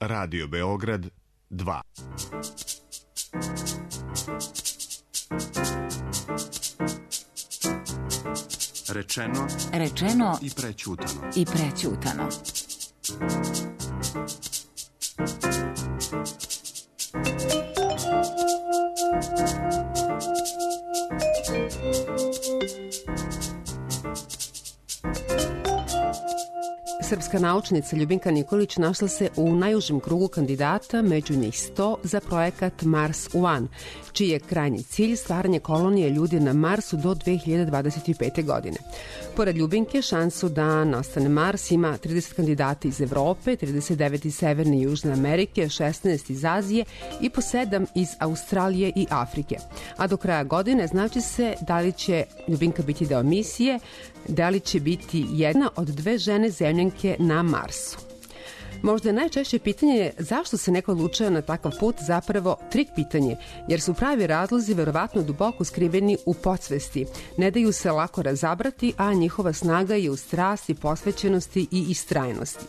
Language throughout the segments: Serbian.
Radio Beograd 2. Rečeno i prećutano. Srpska naučnica Ljubinka Nikolić našla se u najužem krugu kandidata među njih 100 za projekat Mars One, čiji je krajnji cilj stvaranje kolonije ljudi na Marsu do 2025. godine. Pored Ljubinke, šansu da nastane Mars ima 30 kandidata iz Evrope, 39 iz Severne i Južne Amerike, 16 iz Azije i po 7 iz Australije i Afrike. A do kraja godine znači se da li će Ljubinka biti deo misije, da li će biti jedna od 2 žene zemljanke na Marsu. Možda je najčešće pitanje zašto se neko odlučuje na takav put zapravo trik pitanje, jer su pravi razlozi verovatno duboko skriveni u podsvesti. Ne daju se lako razabrati, a njihova snaga je u strasti, posvećenosti i istrajnosti.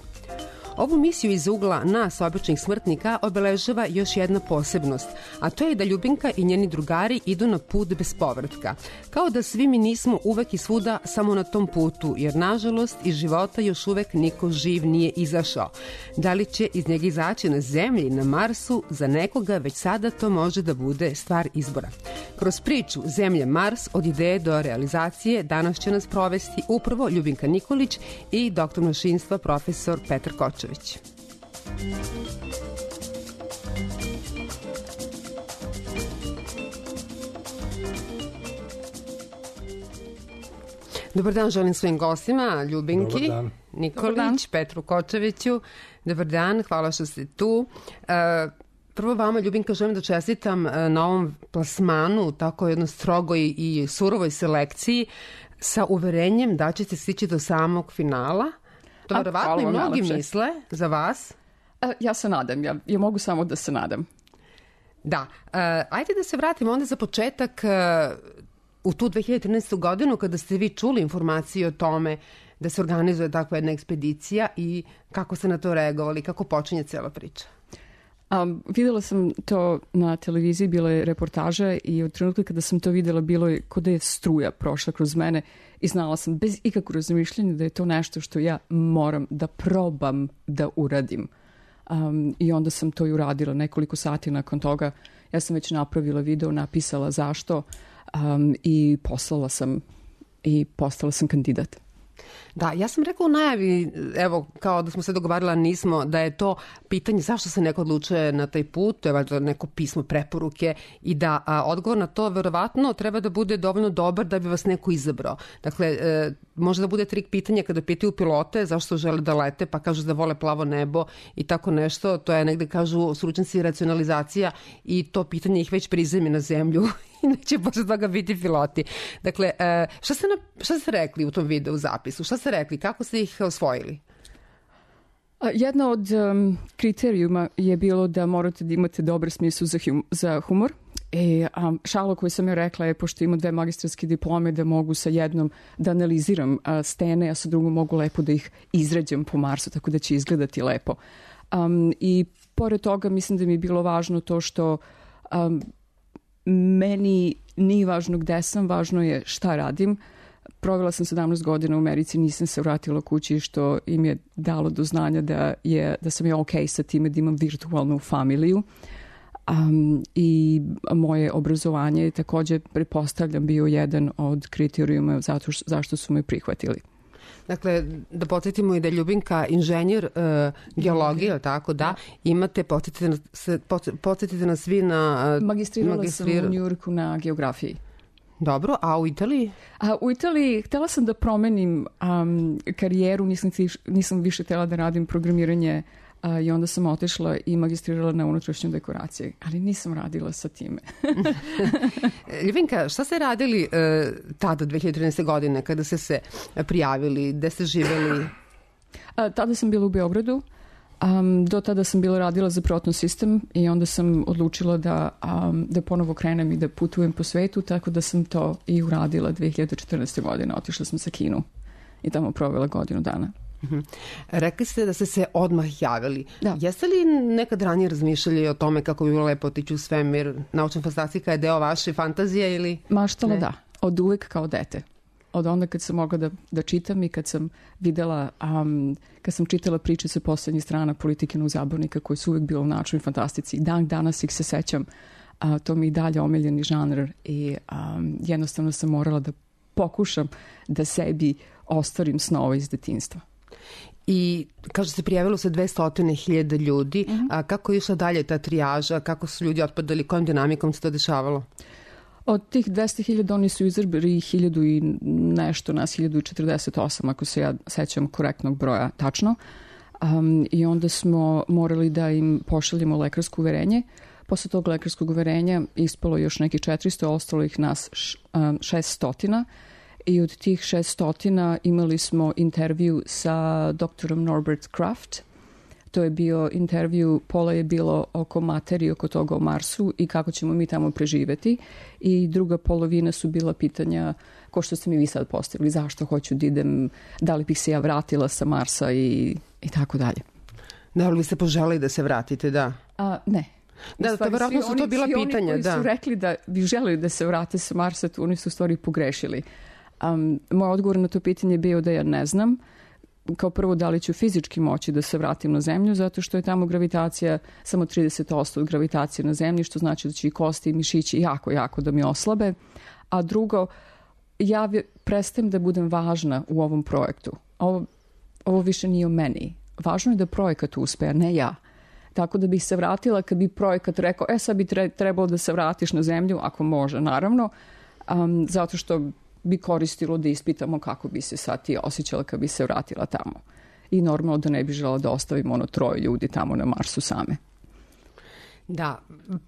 Ovu misiju iz ugla nas, običnih smrtnika, obeležava još jedna posebnost, a to je da Ljubinka i njeni drugari idu na put bez povratka. Kao da svi mi nismo uvek i svuda samo na tom putu, jer nažalost iz života još uvek niko živ nije izašao. Da li će iz njega izaći na Zemlji, na Marsu, za nekoga već sada to može da bude stvar izbora. Kroz priču Zemlja Mars od ideje do realizacije danas će nas provesti upravo Ljubinka Nikolić i doktor mašinstva profesor Petar Kočević. Dobar dan želim svojim gostima, Ljubinki Nikolić, Petru Kočeviću. Dobar dan, hvala što ste tu. Prvo vama, Ljubinka, želim da čestitam na ovom plasmanu, tako jednoj strogoj i surovoj selekciji, sa uverenjem da ćete stići do samog finala. To verovatno i mnogi misle za vas. Ja se nadam, ja mogu samo da se nadam. Da, ajde da se vratimo onda za početak u tu 2013. godinu kada ste vi čuli informacije o tome da se organizuje takva jedna ekspedicija i kako ste na to reagovali, kako počinje cela priča. Videla sam to na televiziji, bila je reportaža i od trenutka kada sam to videla bilo je kod da je struja prošla kroz mene i znala sam bez ikakvog razmišljanja da je to nešto što ja moram da probam da uradim. I onda sam to i uradila. Nekoliko sati nakon toga ja sam već napravila video, napisala zašto i poslala sam i postala sam kandidat. Da, ja sam rekla u najavi, evo, kao da smo se dogovarala, nismo, da je to pitanje zašto se neko odlučuje na taj put, to je valjda neko pismo preporuke i da odgovor na to verovatno treba da bude dovoljno dobar da bi vas neko izabrao. Dakle, može da bude trik pitanja kada pitaju pilote zašto žele da lete, pa kažu da vole plavo nebo i tako nešto, to je negde kažu stručnjaci racionalizacija i to pitanje ih već prizemi na zemlju i neće posle toga biti piloti. Dakle, šta ste rekli u tom videu zapisu? Šta ste rekli? Kako ste ih osvojili? Jedna od kriterijuma je bilo da morate da imate dobar smisao za humor. Šalo koju sam joj rekla je, pošto imam 2 magistarske diplome, da mogu sa jednom da analiziram stene, a sa drugom mogu lepo da ih izrađam po Marsu, tako da će izgledati lepo. I pored toga mislim da mi je bilo važno to što meni nije važno gde sam, važno je šta radim. Provela sam 17 godina u Americi, nisam se vratila kući, što im je dalo do znanja da sam ja okej sa time da imam virtualnu familiju. I moje obrazovanje je takođe, pretpostavljam, bio jedan od kriterijuma zašto su me prihvatili. Dakle, da podsjetimo i da je Ljubinka inženjer geologije, tako da, imate, podsjetite nas svi na... Magistrirala sam u Njujorku na geografiji. Dobro, a u Italiji? U Italiji htela sam da promenim karijeru, nisam više htela da radim programiranje i onda sam otišla i magistrirala na unutrašnjoj dekoraciji, ali nisam radila sa time. Ljubinka, šta ste radili tada, 2013. godine, kada ste se prijavili, gde ste živeli? Tada sam bila u Beogradu. Do tada sam bila radila za Proton System i onda sam odlučila da ponovo krenem i da putujem po svetu, tako da sam to i uradila 2014. godine. Otišla sam sa Kinu i tamo provela godinu dana. Rekli ste da ste se odmah javili. Da. Jeste li nekad ranije razmišljali o tome kako bi bilo lepo otići u svemir? Naučna fantastika je deo vaše fantazije ili... Maštala da, od uvek kao dete. Od onda kad sam mogla da čitam i kad sam videla, kad sam čitala priče sa poslednjih strana Politikinog zabavnika koji su uvek bilo u naučnoj fantastici. Dan danas ih se sećam. To mi i dalje omiljeni žanr i jednostavno sam morala da pokušam da sebi ostvarim snove iz detinjstva. I kaže se prijavilo se 200.000 ljudi. A kako je išla dalje ta trijaža? Kako su ljudi otpadali? Kojom dinamikom se to dešavalo? Od tih 200.000 oni su izabrali 1000 i nešto, nas 1048, ako se ja sećam korektnog broja tačno. I onda smo morali da im pošaljemo lekarsko uverenje. Posle tog lekarskog uverenja ispalo još nekih 400, ostalo ih nas 600. I od tih 600 imali smo intervju sa doktorom Norbert Kraft. To je bio intervju, pola je bilo oko materije, oko toga o Marsu i kako ćemo mi tamo preživeti. I druga polovina su bila pitanja, ko što ste mi vi sad postavili, zašto hoću da idem, da li bih se ja vratila sa Marsa i tako dalje. Da li ste poželeli da se vratite, da? Ne. Da, to verovatno su to bila pitanja, da. Svi oni koji su rekli da bi želeli da se vrate sa Marsa, oni su u stvari pogrešili. Moj odgovor na to pitanje je bio da ja ne znam. Kao prvo, da li ću fizički moći da se vratim na zemlju, zato što je tamo gravitacija samo 30% od gravitacije na zemlji, što znači da će i kosti i mišići jako da mi oslabe. A drugo, ja prestajem da budem važna u ovom projektu. Ovo više nije o meni. Važno je da projekat uspe, a ne ja. Tako da bih se vratila kad bi projekat rekao, sad bi trebalo da se vratiš na zemlju, ako može, naravno, zato što bi koristilo da ispitamo kako bi se sad ti osjećala kad bi se vratila tamo. I normalno da ne bi žela da ostavimo 3 ljudi tamo na Marsu same. Da,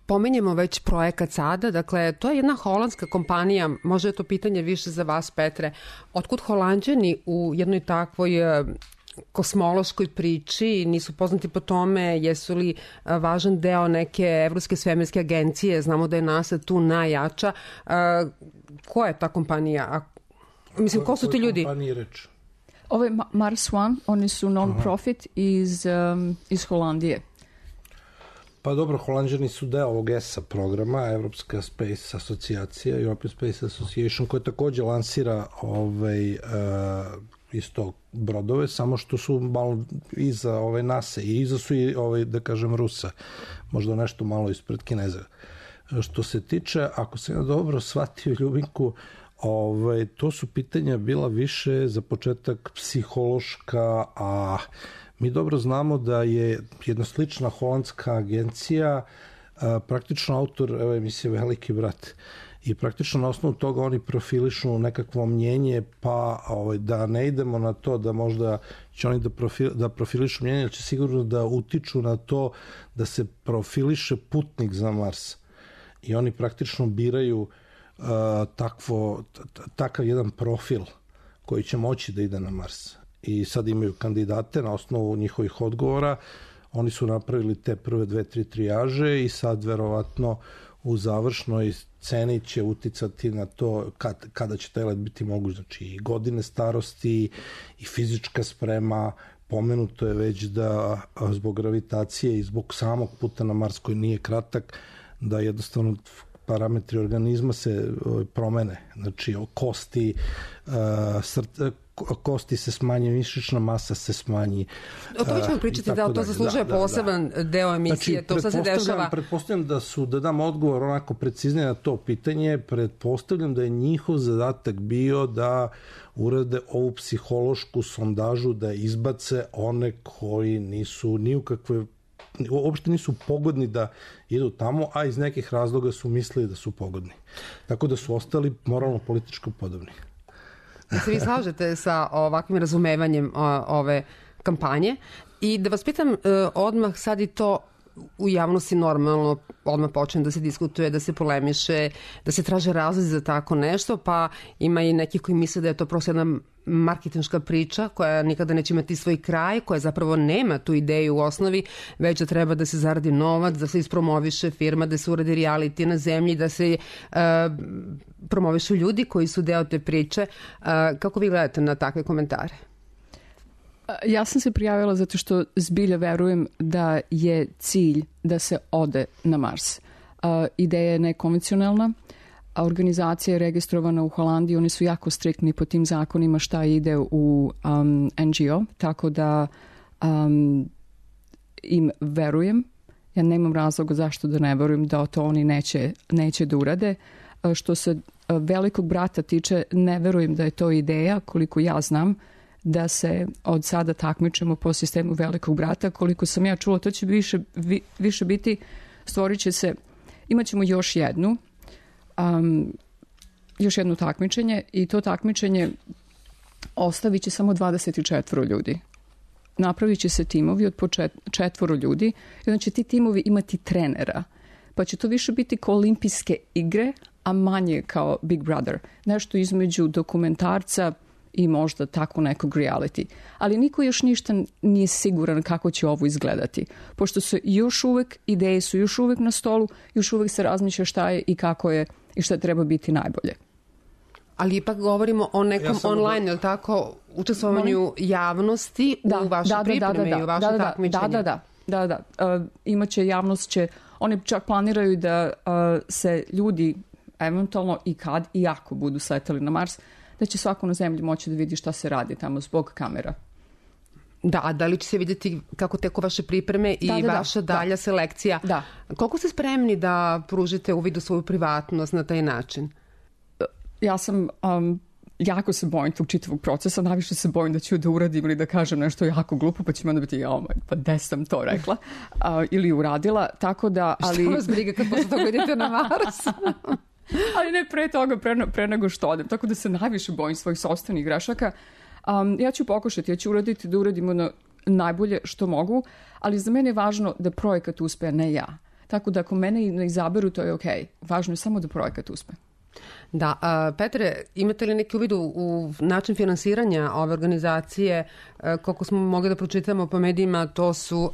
pomenjemo već projekat sada, dakle, to je jedna holandska kompanija, možda je to pitanje više za vas, Petre. Otkud Holanđani u jednoj takvoj kosmološkoj priči, nisu poznati po tome, jesu li važan deo neke Evropske svemirske agencije, znamo da je NASA tu najjača. Ko je ta kompanija? Mislim, ko su ti ljudi? Ovo je Mars One, oni su non-profit iz Holandije. Pa dobro, Holanđani su deo ovog ESA programa, Evropska Space Asocijacija, European Space Association, koja takođe lansira isto brodove, samo što su malo iza NASA i iza su i, da kažem, Rusa. Možda nešto malo ispred Kineza. Što se tiče, ako sam ja dobro shvatio Ljubinku, to su pitanja bila više za početak psihološka, a mi dobro znamo da je jedna slična holandska agencija praktično autor emisije Veliki brat. I praktično na osnovu toga oni profilišu nekakvo mnjenje, pa da ne idemo na to da možda će oni da profilišu mnjenje, ali će sigurno da utiču na to da se profiliše putnik za Mars. I oni praktično biraju takav jedan profil koji će moći da ide na Mars. I sad imaju kandidate na osnovu njihovih odgovora. Oni su napravili te prve 2-3 trijaže i sad verovatno u završnoj ceni će uticati na to kada će taj let biti moguć. Znači i godine starosti i fizička sprema. Pomenuto je već da zbog gravitacije i zbog samog puta na Mars koji nije kratak, da jednostavno parametri organizma se promene. Znači kosti, kosti se smanji, mišićna masa se smanji. O tome ćemo pričati, da to zaslužuje poseban deo emisije. Znači, to sad se dešava. Pretpostavljam da dam odgovor onako preciznije na to pitanje. Pretpostavljam da je njihov zadatak bio da urade ovu psihološku sondažu, da izbace one koji nisu ni u kakve, uopšte nisu pogodni da idu tamo, a iz nekih razloga su mislili da su pogodni. Tako da su ostali moralno-političko podobni. Da se vi slažete sa ovakvim razumevanjem ove kampanje i da vas pitam odmah sad i to u javnosti normalno odmah počne da se diskutuje, da se polemiše, da se traže razlozi za tako nešto, pa ima i nekih koji misle da je to prosto jedna marketinška priča koja nikada neće imati svoj kraj, koja zapravo nema tu ideju u osnovi, već da treba da se zaradi novac, da se ispromoviše firma, da se uradi reality na zemlji, da se promovišu ljudi koji su deo te priče. Kako vi gledate na takve komentare? Ja sam se prijavila zato što zbilja verujem da je cilj da se ode na Mars. Ideja je nekonvencionalna, a organizacija je registrovana u Holandiji, oni su jako striktni po tim zakonima šta ide u NGO, tako da im verujem. Ja nemam razloga zašto da ne verujem da to oni neće da urade. Što se velikog brata tiče, ne verujem da je to ideja, koliko ja znam, da se od sada takmičemo po sistemu velikog brata. Koliko sam ja čula, to će više biti, stvorit će se, imat ćemo još jedno takmičenje i to takmičenje ostavit će samo 24 ljudi. Napravit će se timovi od po 4 ljudi i onda će ti timovi imati trenera. Pa će to više biti kao olimpijske igre, a manje kao Big Brother. Nešto između dokumentarca i možda tako nekog reality. Ali niko još ništa nije siguran kako će ovo izgledati. Pošto su još uvek, ideje su još uvek na stolu, još uvek se razmišlja šta je i kako je i šta treba biti najbolje. Ali ipak govorimo o nekom online, ili tako, učestvovanju javnosti u vaše pripreme i u vaše takmičenje. Da. Imaće javnost, oni čak planiraju da se ljudi eventualno i kad i ako budu sletali na Mars, da će svako na zemlji moći da vidi šta se radi tamo zbog kamera. Da li će se vidjeti kako teku vaše pripreme i vaša dalja selekcija? Da. Koliko ste spremni da pružite uvid u svoju privatnost na taj način? Ja sam, jako se bojim tog čitavog procesa, najviše se bojim da ću da uradim ili da kažem nešto jako glupo, pa će mi onda biti, pa gde sam to rekla ili uradila, tako da... Što vas briga kad posle toga idete na Mars? Ali ne pre toga, pre nego što odem, tako da se najviše bojim svojih sopstvenih grešaka. Ja ću pokušati, ja ću uraditi da uradimo najbolje što mogu, ali za mene je važno da projekat uspe, ne ja. Tako da ako mene ne izaberu, to je okej. Važno je samo da projekat uspe. Da, Petre, imate li neki uvid u način finansiranja ove organizacije? Koliko smo mogli da pročitamo po medijima, to su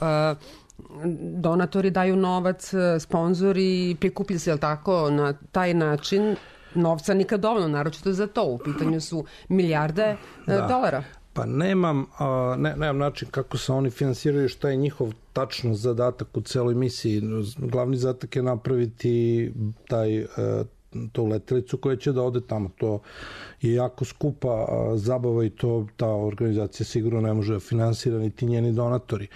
donatori daju novac, sponzori, prikuplji se, jel tako, na taj način. Novca nikad dovoljno, naročito za to. U pitanju su milijarde dolara. Pa nemam način kako se oni finansiraju, šta je njihov tačno zadatak u celoj misiji. Glavni zadatak je napraviti tu letelicu koja će da ode tamo. To je jako skupa zabava i to ta organizacija sigurno ne može da finansira niti njeni donatori.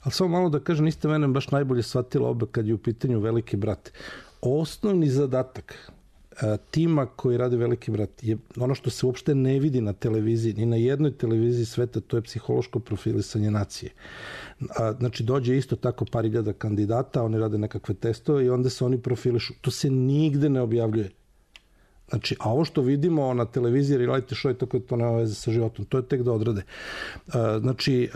Ali samo malo da kažem, niste mene baš najbolje shvatila obe kad je u pitanju Veliki brat. Osnovni zadatak tima koji radi Veliki brat je ono što se uopšte ne vidi na televiziji, ni na jednoj televiziji sveta, to je psihološko profilisanje nacije. Znači, dođe isto tako par hiljada kandidata, oni rade nekakve testove i onda se oni profilišu. To se nigde ne objavljuje. Znači, a ovo što vidimo na televiziji, reality show, tako da to nema veze sa životom, to je tek da odrade. Znači,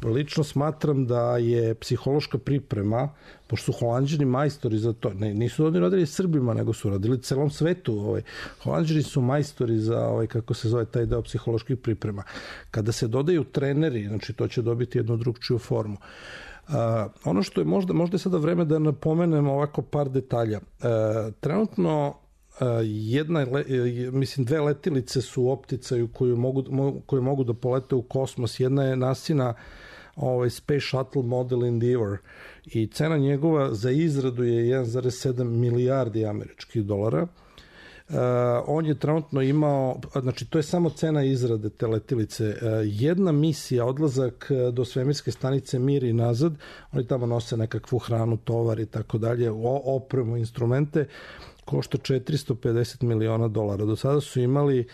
lično smatram da je psihološka priprema, pošto su Holanđani majstori za to, nisu oni radili Srbima, nego su radili celom svetu. Holanđani su majstori za, kako se zove, taj deo psiholoških priprema. Kada se dodaju treneri, znači to će dobiti jednu drugčiju formu. Ono što je možda je sada vreme da napomenem ovako par detalja. Trenutno dve letilice su u opticaju koje mogu da polete u kosmos. Jedna je NASA Space Shuttle Model Endeavour i cena njegova za izradu je 1,7 milijardi američkih dolara. On je trenutno imao, znači to je samo cena izrade te letilice. Jedna misija, odlazak do svemirske stanice Mir i nazad, oni tamo nose nekakvu hranu, tovar i tako dalje, opremu, instrumente, košta $450 miliona. Do sada su imali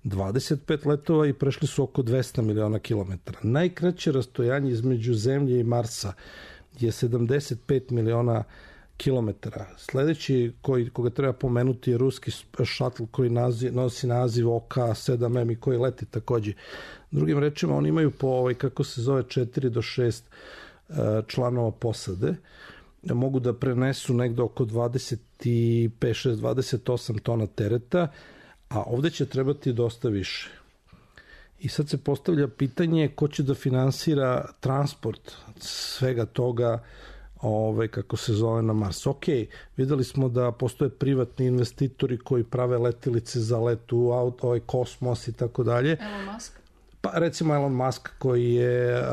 25 letova i prešli su oko 200 miliona kilometara. Najkraće rastojanje između Zemlje i Marsa je 75 miliona kilometara. Sledeći koga treba pomenuti je ruski šatl koji nosi naziv OK-7M i koji leti takođe. Drugim rečima, oni imaju po 4 do 6 članova posade. Mogu da prenesu negde oko 25-28 tona tereta, a ovde će trebati dosta više. I sad se postavlja pitanje ko će da finansira transport svega toga kako se zove na Mars. Ok, videli smo da postoje privatni investitori koji prave letilice za let u kosmos i tako dalje. Elon Musk? Pa recimo Elon Musk koji je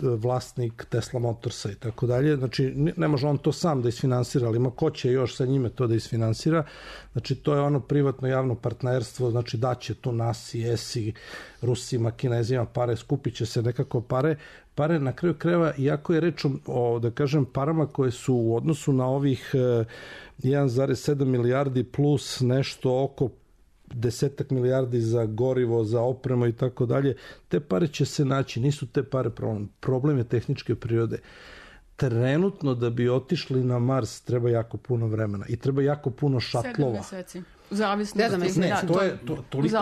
vlasnik Tesla Motorsa i tako dalje. Znači ne može on to sam da isfinansira, ali ima ko će još sa njime to da isfinansira. Znači to je ono privatno javno partnerstvo, znači daće tu NASI, ESI, Rusima, Kinezima pare, skupit će se nekako pare na kraju krajeva, iako je reč o, da kažem, parama koje su u odnosu na ovih 1,7 milijardi plus nešto oko 10 milijardi za gorivo, za opremu i tako dalje, te pare će se naći, nisu te pare problem. Problem je tehničke prirode. Trenutno da bi otišli na Mars treba jako puno vremena i treba jako puno šatlova. 7 meseci. U zavisnosti, toliko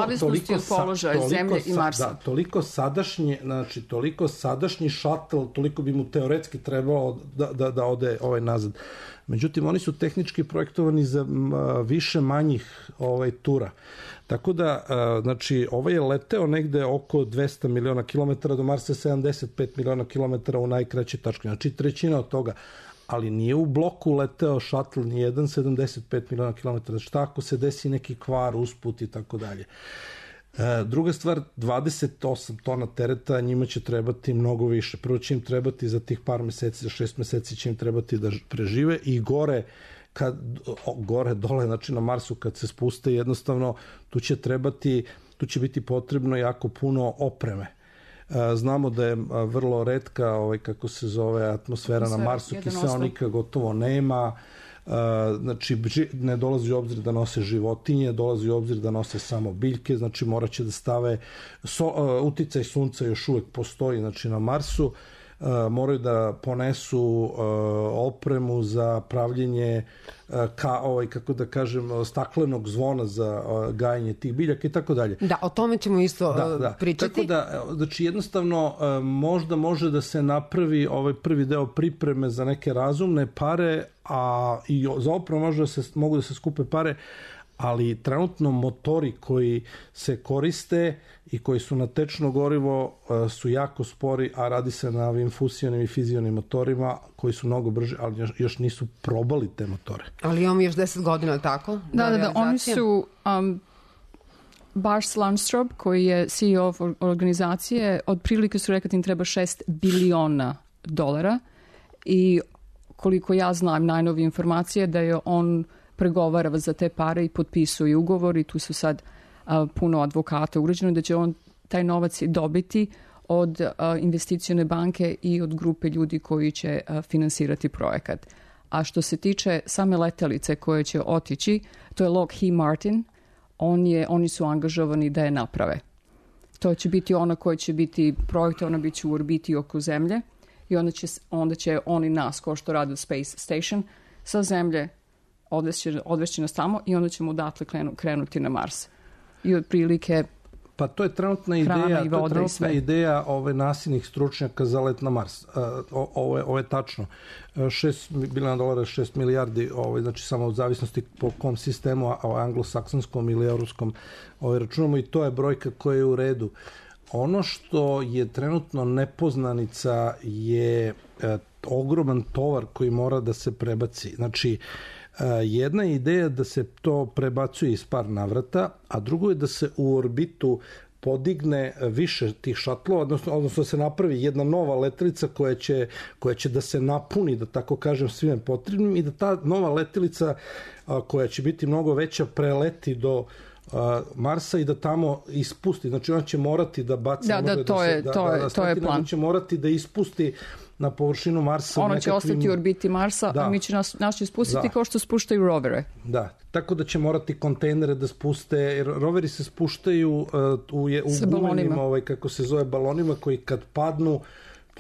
od položaja Zemlje i Marsa. Da, toliko sadašnji šatl, toliko bi mu teoretski trebao da ode nazad. Međutim, oni su tehnički projektovani za više manjih tura. Tako da, znači, ovaj je leteo negde oko 200 miliona kilometara, do Marsa 75 miliona kilometara u najkraćoj tački. Znači, trećina od toga. Ali nije u bloku leteo šatl ni 75 miliona kilometara. Šta ako se desi neki kvar, usput i tako dalje. Druga stvar, 28 tona tereta, njima će trebati mnogo više. Prvo će im trebati za tih par meseci, za 6 meseci će im trebati da prežive i gore dole, znači na Marsu kad se spuste, jednostavno tu će biti potrebno jako puno opreme. Znamo da je vrlo retka, kako se zove, atmosfera na Marsu, kiseonika gotovo nema, znači ne dolazi u obzir da nose životinje, dolazi u obzir da nose samo biljke, znači morat će da stave, uticaj sunca još uvek postoji, znači na Marsu, moraju da ponesu opremu za pravljenje kako da kažem, staklenog zvona za gajanje tih biljaka i tako dalje. Da, o tome ćemo isto pričati. Tako da, znači jednostavno možda može da se napravi ovaj prvi deo pripreme za neke razumne pare, a i za opremu mogu da se skupe pare, ali trenutno motori koji se koriste i koji su na tečno gorivo su jako spori, a radi se na ovim fusionim i fizionim motorima koji su mnogo brži, ali još nisu probali te motore. Ali imamo još 10 godina, tako? Da, oni su... Bas Landström, koji je CEO organizacije, otprilike su rekli da im treba $6 biliona i koliko ja znam najnovije informacije da je on pregovara za te pare i potpisuje ugovor i tu su sad puno advokata urađeno da će on taj novac dobiti od investicione banke i od grupe ljudi koji će finansirati projekat. A što se tiče same letelice koje će otići, to je Lockheed Martin, oni su angažovani da je naprave. To će biti ona koja će biti projektovana, bit će u orbiti oko Zemlje i onda će oni nas, kao što rade u Space Station, sa Zemlje odvešće nas tamo i onda ćemo odatle krenuti na Mars. I otprilike pa to je trenutna ideja nasilnih stručnjaka za let na Mars. Ovo je tačno. $6 biliona, $6 milijardi, znači samo u zavisnosti po kom sistemu, anglosaksonskom ili evropskom računamo, i to je brojka koja je u redu. Ono što je trenutno nepoznanica je ogroman tovar koji mora da se prebaci. Znači, jedna ideja da se to prebacuje iz par navrata, a drugo je da se u orbitu podigne više tih šatlova, odnosno da se napravi jedna nova letelica koja će da se napuni, da tako kažem, svime potrebnim i da ta nova letelica koja će biti mnogo veća preleti do Marsa i da tamo ispusti. Znači ona će morati da baci... To je plan. Će morati da ispusti na površinu Marsa. Ono će ostati u orbiti Marsa, a mi će nas ispustiti kao što spuštaju rovere. Da, tako da će morati kontejnere da spuste, jer roveri se spuštaju u gumenim, kako se zove, balonima koji kad padnu,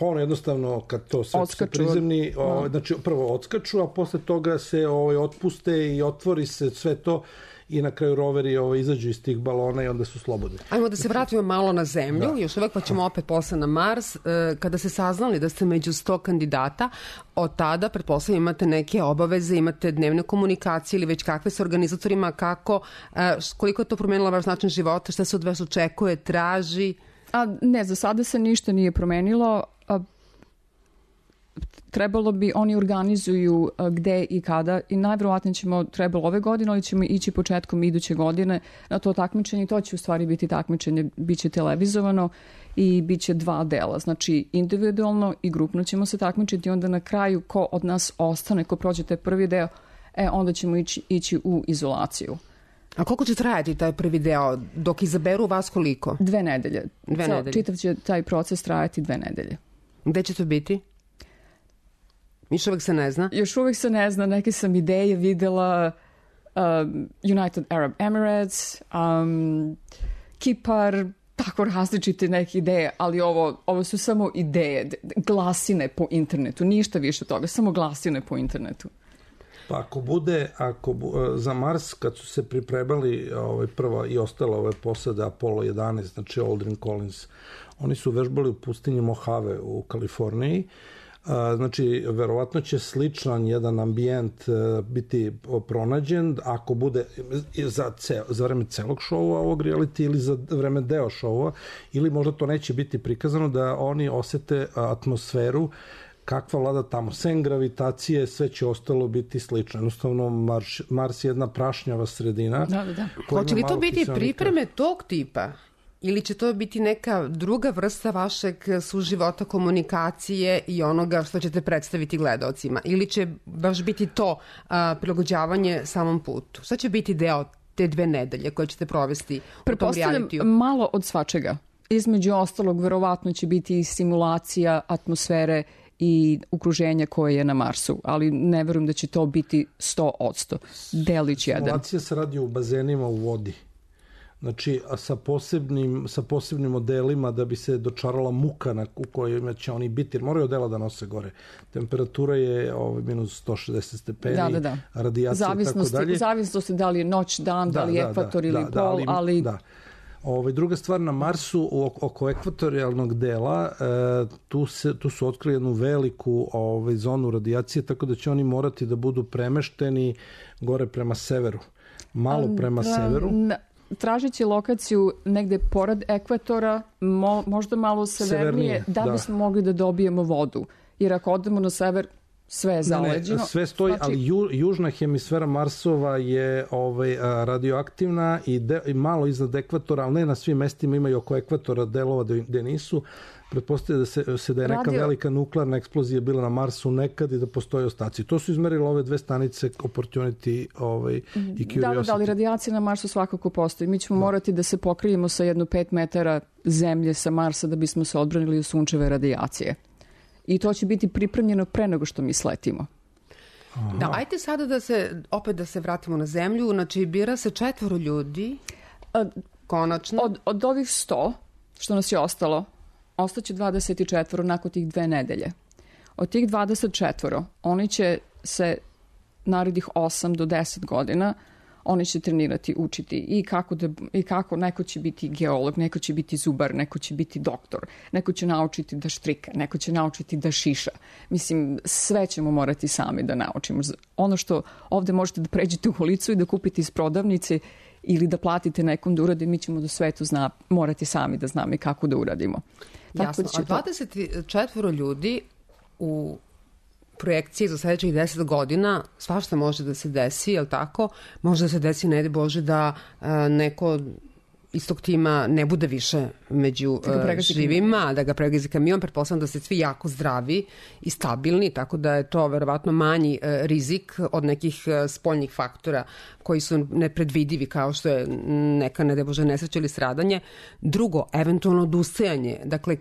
ono jednostavno kad to se prizemni, znači prvo odskaču, a posle toga se otpuste i otvori se sve to i na kraju roveri izađu iz tih balona i onda su slobodni. Ajmo da se vratimo malo na Zemlju, još uvek pa ćemo opet posle na Mars. Kada ste saznali da ste među 100 kandidata, od tada, pretpostavljam, imate neke obaveze, imate dnevne komunikacije ili već kakve sa organizatorima, koliko je to promenilo vaš način života, šta se od vas očekuje, traži? Ne, za sada se ništa nije promenilo. Trebalo bi, oni organizuju gde i kada i najverovatnije trebalo ove godine, ali ćemo ići početkom iduće godine na to takmičenje i to će u stvari biti takmičenje, bit će televizovano i bit će 2 dela, znači individualno i grupno ćemo se takmičiti, onda na kraju ko od nas ostane, ko prođe taj prvi deo, onda ćemo ići u izolaciju. A koliko će trajati taj prvi deo? Dok izaberu vas koliko? 2 nedelje. 2 nedelje. Čitav će taj proces trajati 2 nedelje. Gde će to biti? Još uvek se ne zna? Još uvek se ne zna. Neke sam ideje videla, United Arab Emirates, Kipar, tako različite neke ideje, ali ovo su samo ideje, glasine po internetu, ništa više toga, samo glasine po internetu. Pa ako bude, za Mars, kad su se pripremali prva i ostala ove posade Apollo 11, znači Aldrin Collins, oni su vežbali u pustinji Mojave u Kaliforniji. Znači, verovatno će sličan jedan ambijent biti pronađen ako bude za vreme celog šova ovog reality ili za vreme deo šova, ili možda to neće biti prikazano, da oni osete atmosferu kakva vlada tamo. Sem gravitacije, sve će ostalo biti slično. Jednostavno, Mars je jedna prašnjava sredina. Da. Hoće li to biti pripreme tog tipa? Ili će to biti neka druga vrsta vašeg suživota, komunikacije i onoga što ćete predstaviti gledaocima? Ili će baš biti to prilagođavanje samom putu? Šta će biti deo te 2 nedelje koje ćete provesti u tom realitiju? Malo od svačega. Između ostalog, verovatno će biti i simulacija atmosfere i okruženja koje je na Marsu, ali ne verujem da će to biti 100%. Delić jedan. Simulacija se radi u bazenima u vodi. Znači, sa posebnim modelima da bi se dočarala muka u kojoj će oni biti, jer moraju odela da nose gore. Temperatura je minus 160 stepeni, radijacija i tako dalje. Zavisnosti da li je noć, dan, da li je ekvator ili pol, ali... Da. Druga stvar, na Marsu, oko ekvatorijalnog dela, tu su otkrili jednu veliku zonu radijacije, tako da će oni morati da budu premešteni gore prema severu. Malo prema severu. Tražit će lokaciju negde pored ekvatora, možda malo severnije, da bismo mogli da dobijemo vodu. Jer ako odemo na sever, sve je zaleđeno. Ne, sve stoji, ali južna hemisfera Marsova je radioaktivna i malo iznad ekvatora, ali ne na svim mestima, imaju oko ekvatora delova gde nisu. Pretpostavlja da je neka velika nuklearna eksplozija bila na Marsu nekad i da postoje ostaci. To su izmerili ove 2 stanice, Opportunity i Curiosity. Da, ali radijacija na Marsu svakako postoji. Mi ćemo morati da se pokrijemo sa 5 metara zemlje sa Marsa da bismo se odbranili od sunčeve radijacije. I to će biti pripremljeno pre nego što mi sletimo. Da, ajte sada da se vratimo na zemlju. Znači, bira se 4 ljudi, konačno. Od ovih 100, što nas je ostalo, ostaće 24 nakon tih 2 nedelje. Od tih 24, oni će se narednih 8 do 10 godina, oni će trenirati, učiti i kako neko će biti geolog, neko će biti zubar, neko će biti doktor, neko će naučiti da štrika, neko će naučiti da šiša. Mislim, sve ćemo morati sami da naučimo. Ono što ovde možete da pređete u ulicu i da kupite iz prodavnice ili da platite nekom da uradi, mi ćemo do svetu morati sami da znamo i kako da uradimo. Jasno, a 24 ljudi u projekciji za sledećih 10 godina, svašta može da se desi, je li tako? Može da se desi, ne Bože, da neko iz tog tima ne bude više među živima, da ga pregazi kamion. Pretpostavljam da ste svi jako zdravi i stabilni, tako da je to verovatno manji rizik od nekih spoljnih faktora koji su nepredvidivi, kao što je neka, ne Bože, nesreća ili stradanje. Drugo, eventualno odustajanje. Dakle,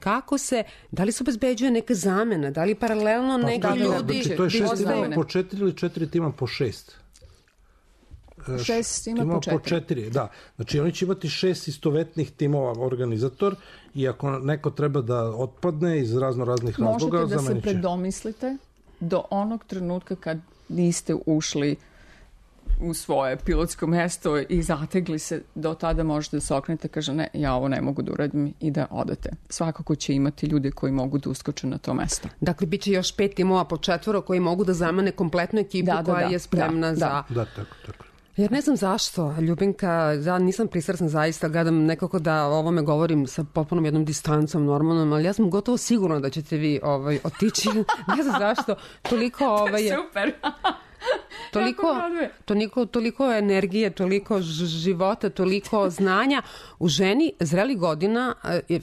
da li se obezbeđuje neka zamena, da li paralelno neki ljudi... Znači, to je 6 timova po 4 ili 4 tima po 6? 6 tima po 4. Da. Znači, oni će imati 6 istovetnih timova organizator i ako neko treba da otpadne iz raznih razloga, možete da se predomislite do onog trenutka kad niste ušli u svoje pilotsko mesto i zategli se, do tada možete da se okrenete, kaže ne, ja ovo ne mogu da uradim i da odete. Svakako će imati ljude koji mogu da uskoče na to mesto. Dakle, bit će još 5 timova po 4 koji mogu da zamene kompletnu ekipu koja je spremna za... Da, tako. Jer ne znam zašto, Ljubinka, ja nisam pristrasna zaista, gledam nekako da o ovome govorim sa potpunom jednom distancom normalnom, ali ja sam gotovo sigurna da ćete vi otići. Ne znam zašto, toliko... Super! toliko energije, toliko života, toliko znanja u ženi zrelih godina,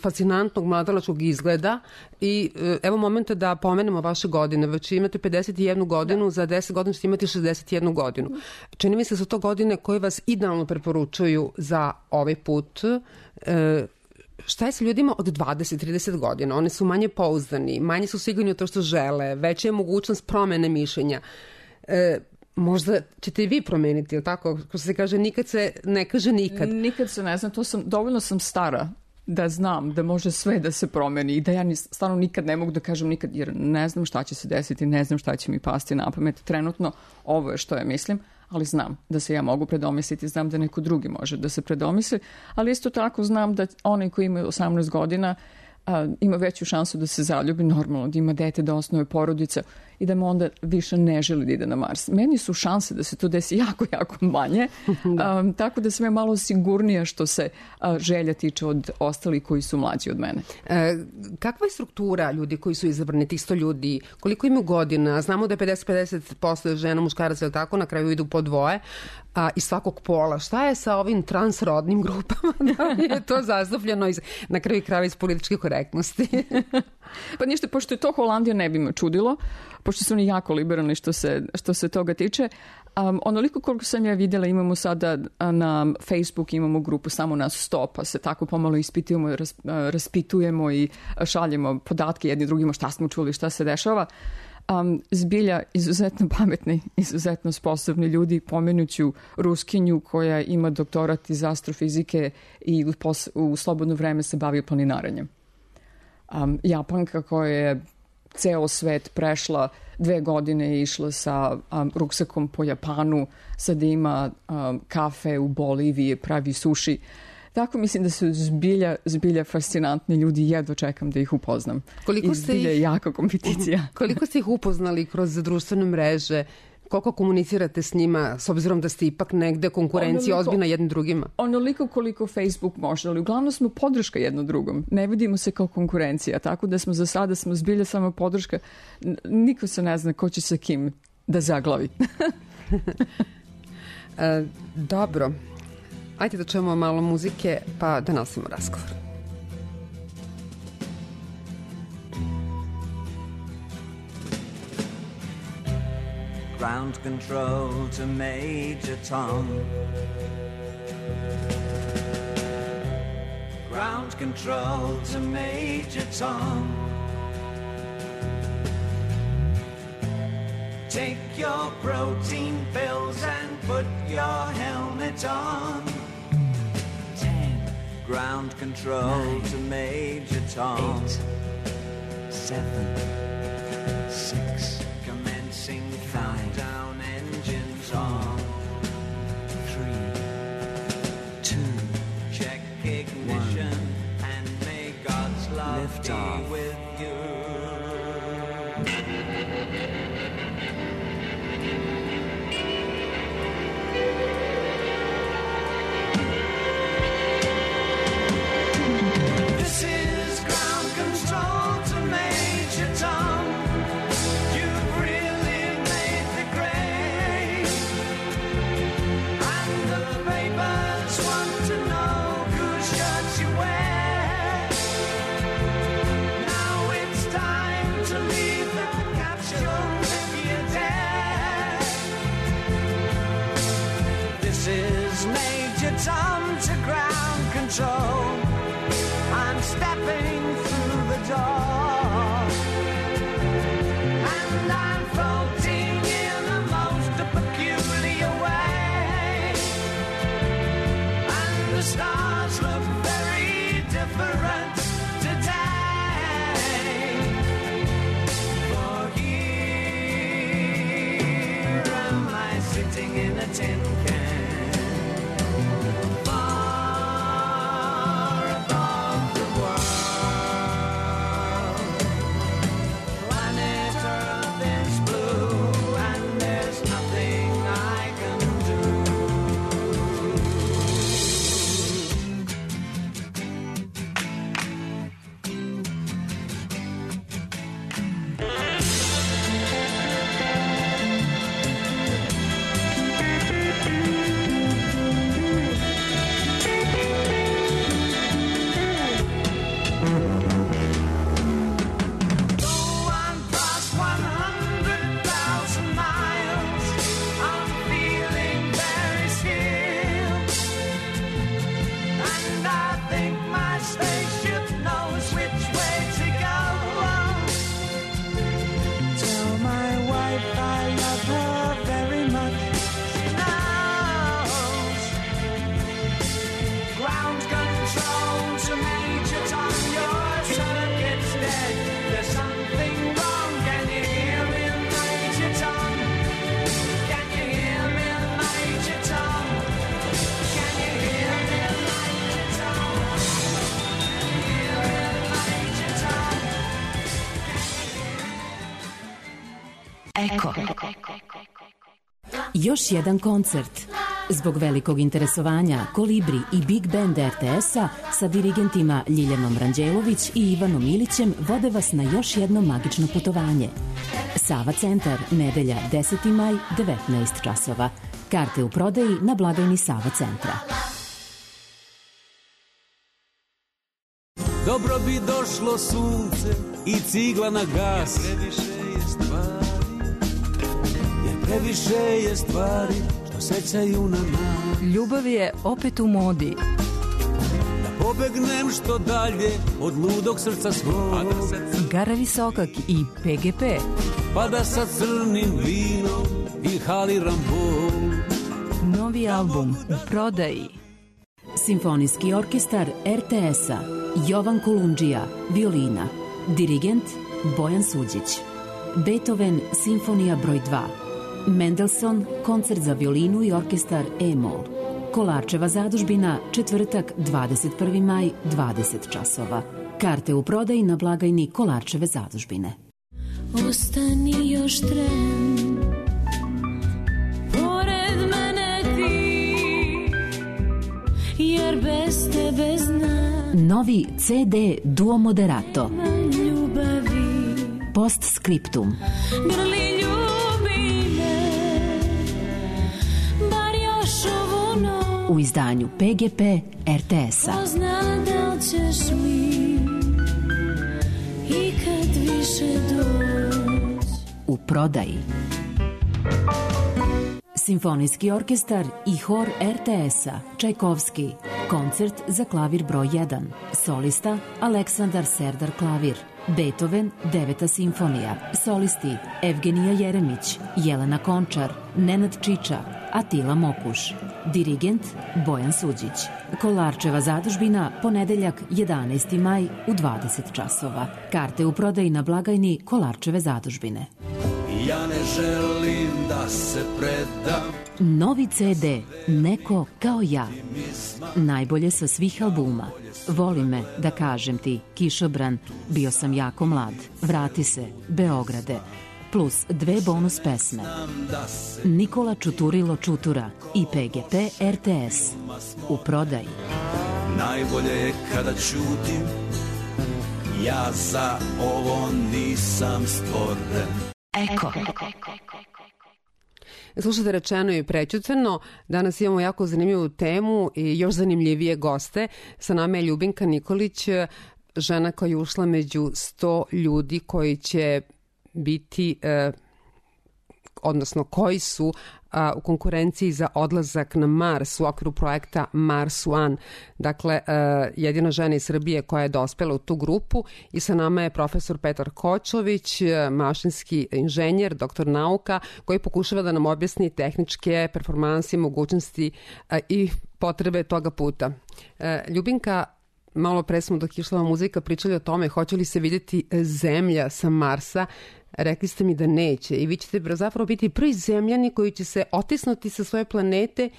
fascinantnog mladalačkog izgleda i evo momenta da pomenemo vaše godine. Već imate 51 godinu, za 10 godina ćete imati 61 godinu. Čini mi se da su to godine koje vas idealno preporučuju za ovaj put. Šta je sa ljudima od 20-30 godina? Oni su manje pouzdani, manje su sigurni u to što žele, veća je mogućnost promene mišljenja. Možda ćete i vi promeniti, ili tako? Ko se kaže, nikad se ne kaže nikad. Nikad se ne znam, dovoljno sam stara da znam da može sve da se promeni i da ja stvarno nikad ne mogu da kažem nikad, jer ne znam šta će se desiti, ne znam šta će mi pasti na pamet. Trenutno ovo je što ja mislim, ali znam da se ja mogu predomisliti, znam da neko drugi može da se predomisli, ali isto tako znam da onaj koji ima 18 godina ima veću šansu da se zaljubi, normalno, da ima dete, da osnuje porodica i da mu onda više ne želi da ide na Mars. Meni su šanse da se to desi jako, jako manje, tako da sam ja malo sigurnija što se želja tiče od ostalih koji su mlađi od mene. Kakva je struktura ljudi koji su izabrani, tih 100 ljudi? Koliko imaju godina? Znamo da je 50-50% žena, muškaraca, ili tako, na kraju idu po dvoje iz svakog pola. Šta je sa ovim transrodnim grupama? Da je to zastupljeno na kraju krajeva iz političke korektnosti? Pa ništa, pošto je to Holandija, ne bi me čudilo, pošto su oni jako liberalni što se toga tiče. Onoliko koliko sam ja vidjela, imamo sada na Facebook, imamo grupu samo nas 100, pa se tako pomalo ispitujemo, raspitujemo i šaljemo podatke jedni drugima šta smo čuli, šta se dešava. Zbilja izuzetno pametni, izuzetno sposobni ljudi, pomenuću Ruskinju koja ima doktorat iz astrofizike i u slobodno vreme se bavi planinarenjem. Japanka koja je ceo svet prešla 2 godine i išla sa ruksakom po Japanu, sada ima kafe u Boliviji, pravi suši. Tako mislim da su zbilja fascinantni ljudi, jedva čekam da ih upoznam. I zbilja je jaka kompeticija. Koliko ste ih upoznali kroz društvene mreže? Koliko komunicirate s njima, s obzirom da ste ipak negde konkurencija ozbiljna jednim drugima? Onoliko koliko Facebook može, ali uglavnom smo podrška jedno drugom. Ne vidimo se kao konkurencija, tako da smo za sada zbilja samo podrška. Niko se ne zna ko će sa kim da zaglavi. Dobro. Ajde da čujemo malo muzike, pa da nastavimo razgovor. Ground control to Major Tom. Ground control to Major Tom. Take your protein pills and put your helmet on. 10. Ground control 9, to Major Tom. 8, 7, 6. Commencing countdown, engines on. 3, 2. Check ignition 1, and may God's love lift be off. With you. Tom to ground control. I'm stepping through the door, and I'm floating in a most peculiar way, and the stars look very different today. For here am I sitting in a tin can. Još jedan koncert. Zbog velikog interesovanja, Kolibri i Big Band RTS-a sa dirigentima Ljiljanom Ranđelović i Ivanom Ilićem vode vas na još jedno magično putovanje. Sava centar, nedelja 10. maj, 19 časova. Karte u prodaji na blagajni Sava centra. Dobro bi došlo sunce i cigla na gas, jer previše je stvari što sećaju na nas. Ljubav je opet u modi. Da pobegnem što dalje od ludog srca svog. Gara Visokak i PGP. Pa da sa crnim vinom inhaliram bol. Novi album u prodaji. Simfonijski orkestar RTS-a, Jovan Kolundžija, violina. Dirigent Bojan Suđić. Beethoven, simfonija broj 2. Mendelssohn, koncert za violinu i orkestar E-mol. Kolarčeva zadužbina, četvrtak, 21. maj, 20 časova. Karte u prodaji na blagajni Kolarčeve zadužbine. Ostani još tren, pored mene ti, jer bez tebe znam. Novi CD Duo Moderato. Ljubavi. Postscriptum. Grli ljubi me, bar još ovu noć. U izdanju PGP RTS-a. Ko zna da li ćeš mi ikad više doći. U prodaji. Simfonijski orkestar i hor RTS-a, Čajkovski, koncert za klavir broj 1, solista Aleksandar Serdar klavir, Beethoven, 9. simfonija, solisti Evgenija Jeremić, Jelena Končar, Nenad Čiča, Atila Mokuš, dirigent Bojan Suđić. Kolarčeva zadužbina, ponedeljak 11. maj u 20 časova. Karte u prodaji na blagajni Kolarčeve zadužbine. Ja ne želim da se predam. Novi CD Neko kao ja. Najbolje sa svih albuma. Voli me, da kažem ti, Kišobran, bio sam jako mlad, vrati se, Beograde, plus 2 bonus pesme. Nikola Čuturilo Čutura i PGP RTS. U prodaji. Najbolje je kada ćutim, ja za ovo nisam stvoren. Eko. Slušajte, rečeno i prećutano. Danas imamo jako zanimljivu temu i još zanimljivije goste. Sa nama je Ljubinka Nikolić, žena koja je ušla među 100 ljudi koji će biti, odnosno koji su u konkurenciji za odlazak na Mars u okviru projekta Mars One. Dakle, jedina žena iz Srbije koja je dospela u tu grupu i sa nama je profesor Petar Kočović, mašinski inženjer, doktor nauka, koji pokušava da nam objasni tehničke performanse, mogućnosti i potrebe toga puta. Ljubinka, malo pre smo dok išla muzika pričali o tome hoće li se vidjeti Zemlja sa Marsa. Rekli ste mi da neće i vi ćete zapravo biti prvi zemljani koji će se otisnuti sa svoje planete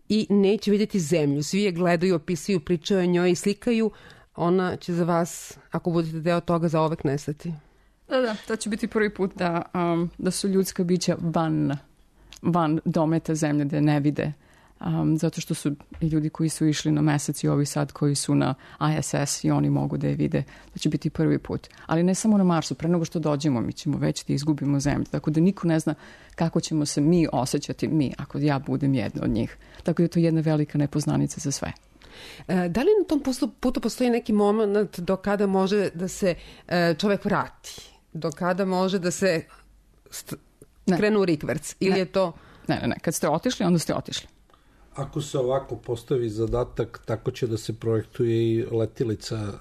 i neće vidjeti Zemlju. Svi je gledaju, opisuju, pričaju o njoj i slikaju. Ona će za vas, ako budete deo toga, zaovek nestati. Da, to će biti prvi put da su ljudska bića van dometa Zemlje, da je ne vide. Zato što su i ljudi koji su išli na Mesec i ovi sad koji su na ISS i oni mogu da je vide. To će biti prvi put. Ali ne samo na Marsu, pre nego što dođemo mi ćemo već da izgubimo Zemlju. Tako da niko ne zna kako ćemo se mi osjećati, ako ja budem jedna od njih. Tako da je to jedna velika nepoznanica za sve. Da li na tom putu postoji neki moment do kada može da se čovek vrati? Do kada može da se krenu u rikverc? Ili je to... Ne. Kad ste otišli, onda ste otišli. Ako se ovako postavi zadatak, tako će da se projektuje i letilica,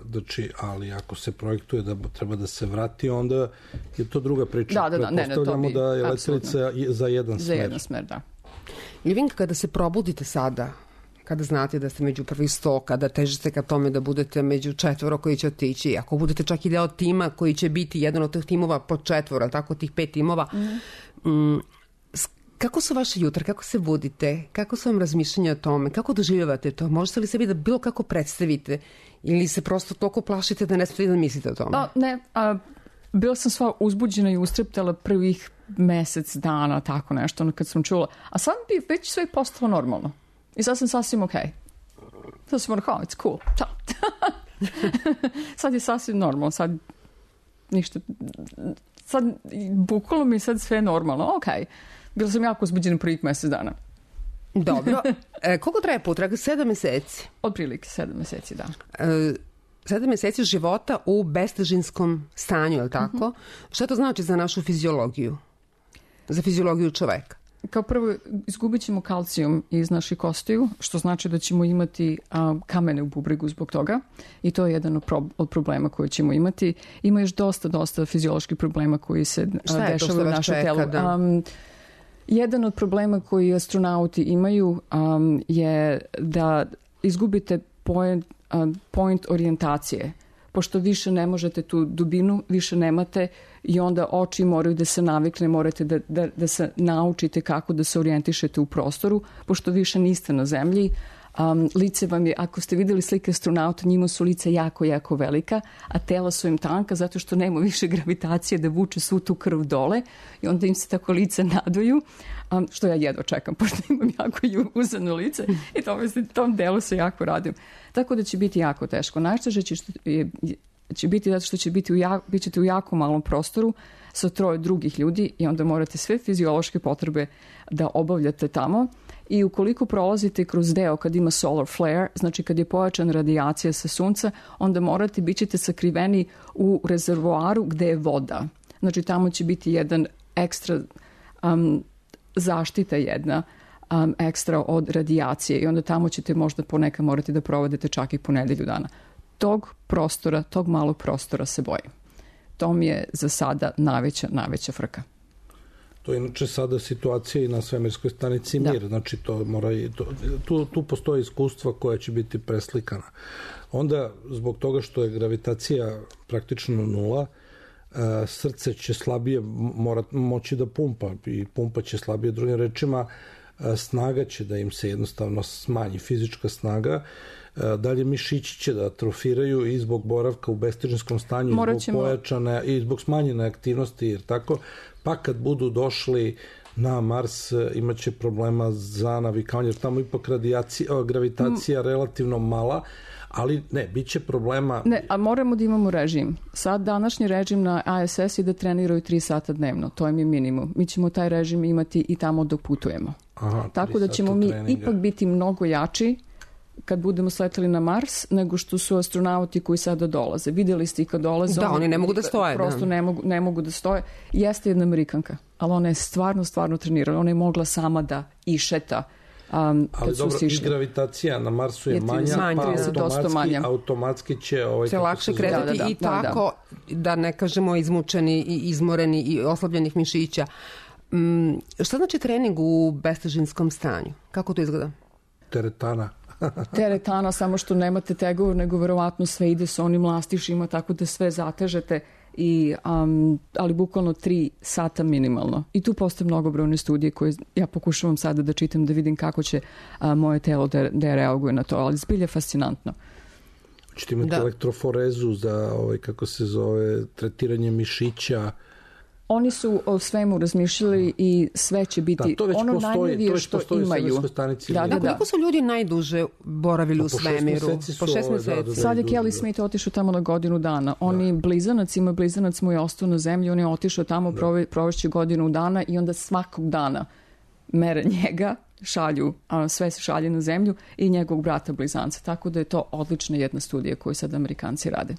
ali ako se projektuje da treba da se vrati, onda je to druga priča. Pretpostavljamo da je letilica za jedan smer. Za jedan smer, da. Ljubinka, kada se probudite sada, kada znate da ste među prvih 100, kada težite ka tome da budete među 4 koji će otići, ako budete čak i deo tima koji će biti jedan od tih timova po 4, tako tih 5 timova, kako su vaše jutra, kako se budite, kako su vam razmišljanja o tome, kako doživljavate to, možete li sebi da bilo kako predstavite ili se prosto toliko plašite da ne smete da mislite o tome? bila sam sva uzbuđena i ustreptala prvih mesec dana, tako nešto, ono kad sam čula. A sad bi već sve postalo normalno. I sad sam sasvim okej. Sad sam ono, it's cool. Ciao. Sad je sasvim normalno, sad ništa, sad bukvalno mi sad sve normalno, okej. Bila sam jako uzbuđena prvih mesec dana. Dobro. Koliko traje potraga? 7 meseci? Otprilike 7 meseci, da. 7 meseci života u bestežinskom stanju, je li tako? Šta to znači za našu fiziologiju? Za fiziologiju čoveka? Kao prvo, izgubit ćemo kalcijum iz naših kostiju, što znači da ćemo imati kamene u bubregu zbog toga. I to je jedan od problema koje ćemo imati. Ima još dosta fizioloških problema koji se dešavaju u našem telu. Jedan od problema koji astronauti imaju je da izgubite point orijentacije. Pošto više ne možete tu dubinu, više nemate i onda oči moraju da se navikne, morate da se naučite kako da se orijentišete u prostoru, pošto više niste na zemlji. Lice vam je, ako ste videli slike astronauta, njima su lice jako, jako velika, a tela su im tanka zato što nema više gravitacije da vuče svu tu krv dole i onda im se tako lice naduju, što ja jedva čekam, pošto imam jako uzano lice i tom delu se jako radim. Tako da će biti jako teško. Najteže će biti zato što bit ćete u jako malom prostoru sa 3 drugih ljudi i onda morate sve fiziološke potrebe da obavljate tamo. I ukoliko prolazite kroz deo kad ima solar flare, znači kad je pojačana radijacija sa sunca, onda bit ćete sakriveni u rezervoaru gde je voda. Znači tamo će biti jedan ekstra zaštita jedna ekstra od radijacije i onda tamo ćete možda ponekad morati da provodite čak i po nedelju dana. Tog malog prostora se bojim. To mi je za sada najveća frka. To je inače sada situacija i na svemirskoj stanici Mir, znači tu postoje iskustva koja će biti preslikana. Onda, zbog toga što je gravitacija praktično nula, srce će slabije moći da pumpa i pumpa će slabije, drugim rečima, snaga će da im se jednostavno smanji, fizička snaga, dalje mišići će da atrofiraju i zbog boravka u bestežinskom stanju, zbog pojačane i zbog smanjene aktivnosti, jer tako, pa kad budu došli na Mars imaće problema za navikavanje, jer tamo ipak gravitacija relativno mala, ali ne, bit će problema. Ne, a moramo da imamo režim. Sad današnji režim na ISS je da treniraju 3 sata dnevno, to je mi minimum. Mi ćemo taj režim imati i tamo dok putujemo. Tako da ćemo mi ipak biti mnogo jači kad budemo sleteli na Mars, nego što su astronauti koji sada dolaze. Vidjeli ste i kad dolaze... Da, oni ne mogu da stoje. Prosto ne mogu da stoje. Jeste jedna Amerikanka, ali ona je stvarno trenirala. Ona je mogla sama da išeta. Ali dobro, i gravitacija na Marsu je manja, pa automatski će... se lakše kretati i tako, da ne kažemo izmučeni i izmoreni i oslabljenih mišića. Šta znači trening u bestežinskom stanju? Kako to izgleda? Teretana, samo što nemate tegove, nego verovatno sve ide sa onim lastišima, tako da sve zatežete, ali bukvalno 3 sata minimalno. I tu postoje mnogobrojne studije koje ja pokušavam sada da čitam, da vidim kako će moje telo da reaguje na to, ali zbilja fascinantno. Ćete imati elektroforezu za, kako se zove, tretiranje mišića. Oni su o svemu razmišljali i sve će biti ono najnovije što imaju. Koliko su ljudi najduže boravili u svemiru? Po 6 meseci. Sad je Kelly Smith otišao tamo na godinu dana. Blizanac mu je ostao na zemlji, on je otišao tamo, provešće godinu dana i onda svakog dana mere njega, sve se šalje na zemlju i njegovog brata blizanca. Tako da je to odlična jedna studija koju sad Amerikanci rade.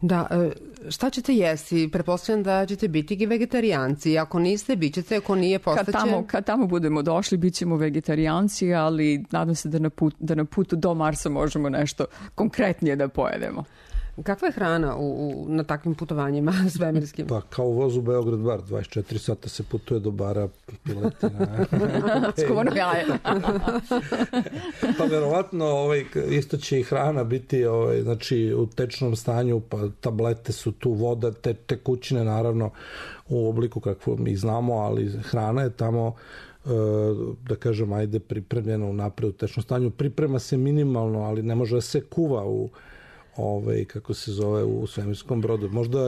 Da, šta ćete jesti? Pretpostavljam da ćete biti vegetarijanci. Ako niste, bit ćete, ako nije, postaće... Kad tamo budemo došli, bit ćemo vegetarijanci, ali nadam se da na putu do Marsa možemo nešto konkretnije da pojedemo. Kakva je hrana na takvim putovanjima svemirskim? Pa kao u vozu Beograd-Bar, 24 sata se putuje do bara, piletina. Skuvano jaje. Pa verovatno isto će i hrana biti znači, u tečnom stanju, pa tablete su tu, voda, tekućine naravno u obliku kakvo mi znamo, ali hrana je tamo da kažem, pripremljena unapred u tečnom stanju. Priprema se minimalno, ali ne može da se kuva kako se zove, u svemirskom brodu. Možda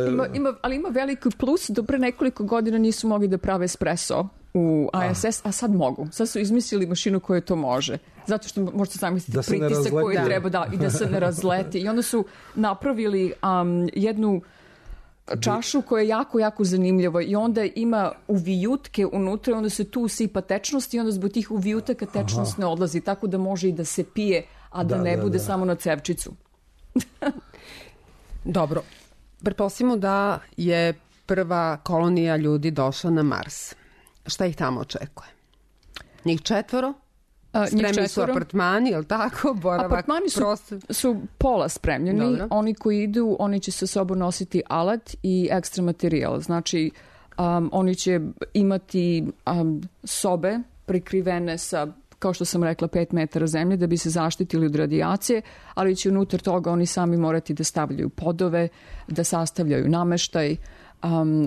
ali ima veliki plus, do pre nekoliko godina nisu mogli da prave espresso u ISS, a sad mogu. Sad su izmislili mašinu koja to može. Zato što možete zamisliti pritisak koji treba i da se ne razleti. I onda su napravili jednu čašu koja je jako, jako zanimljiva i onda ima uvijutke unutra i onda se tu usipa tečnost i onda zbog tih uvijutaka tečnost ne odlazi, tako da može i da se pije, a da ne bude samo na cevčicu. Dobro. Pretpostavimo da je prva kolonija ljudi došla na Mars. Šta ih tamo očekuje? Njih 4? Spremni su apartmani, je li tako? Boravak, apartmani su pola spremljeni. Dobro. Oni koji idu, oni će sa sobom nositi alat i ekstra materijal. Znači, oni će imati sobe prekrivene sa, kao što sam rekla, 5 metara zemlje da bi se zaštitili od radijacije, ali će unutar toga oni sami morati da stavljaju podove, da sastavljaju nameštaj,